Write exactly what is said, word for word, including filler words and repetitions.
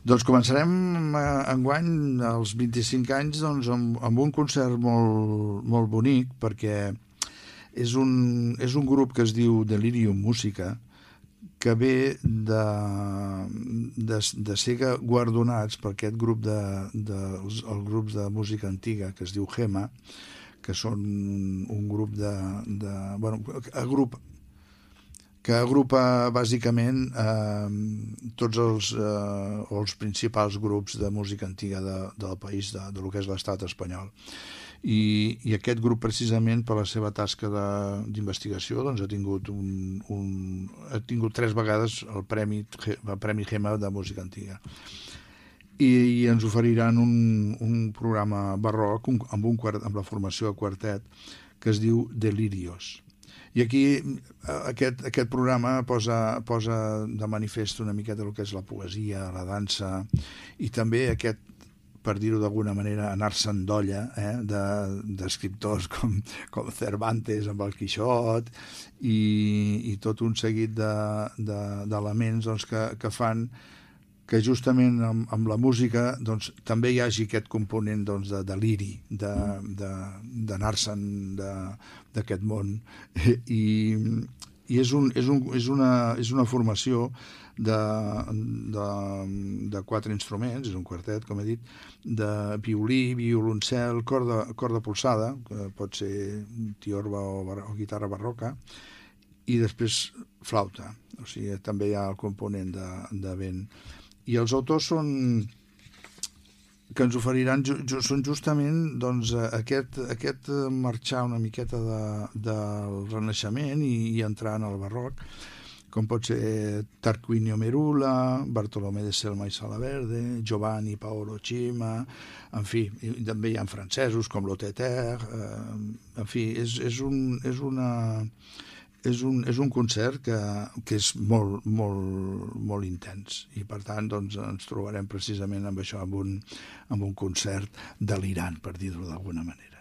Doncs començarem eh, enguany, als vint-i-cinc anys, doncs, amb, amb un concert molt, molt bonic, perquè és un, és un grup que es diu Delirium Música, que ve de, de, de ser guardonats per aquest grup de, de, els grups de música antiga que es diu Gema, que són un grup de, de bueno, agrupa, que agrupa bàsicament eh, tots els, eh, els principals grups de música antiga de, del país, de, de lo que és l'estat espanyol. I, i aquest grup, precisament, per la seva tasca d'investigació, doncs, ha tingut un, un, ha tingut tres vegades el Premi, el Premi Gema de música antiga. I, i ens oferiran un, un programa barroc un, amb, un, amb la formació a quartet que es diu Delirios. I aquí aquest, aquest programa posa, posa de manifest una miqueta el que és la poesia, la dansa, i també aquest, per dir-ho d'alguna manera, anar-se'n d'olla eh, d'escriptors de, com, com Cervantes amb el Quixot i, i tot un seguit d'elements de, de, doncs, que, que fan que justament amb, amb la música doncs, també hi hagi aquest component doncs, de deliri, d'anar-se'n d'aquest món. I, i és, un, és, un, és, una, és una formació de, de, de quatre instruments, és un quartet, com he dit, de violí, violoncel, corda, corda polsada, que pot ser tiorba o, o guitarra barroca, i després flauta, o sigui, també hi ha el component de, de vent. I els autors són que ens oferiran ju, ju, són justament doncs, aquest, aquest marxar una miqueta de, del Renaixement i, i entrar en el barroc, com pot ser Tarquinio Merula, Bartolomé de Selma i Salaverde, Giovanni Paolo Cima, en fi, també hi ha francesos com Loteter, eh, en fi, és, és, un, és una... És un, és un concert que, que és molt, molt, molt intens i per tant doncs, ens trobarem precisament amb això, amb un, amb un concert delirant, per dir-ho d'alguna manera.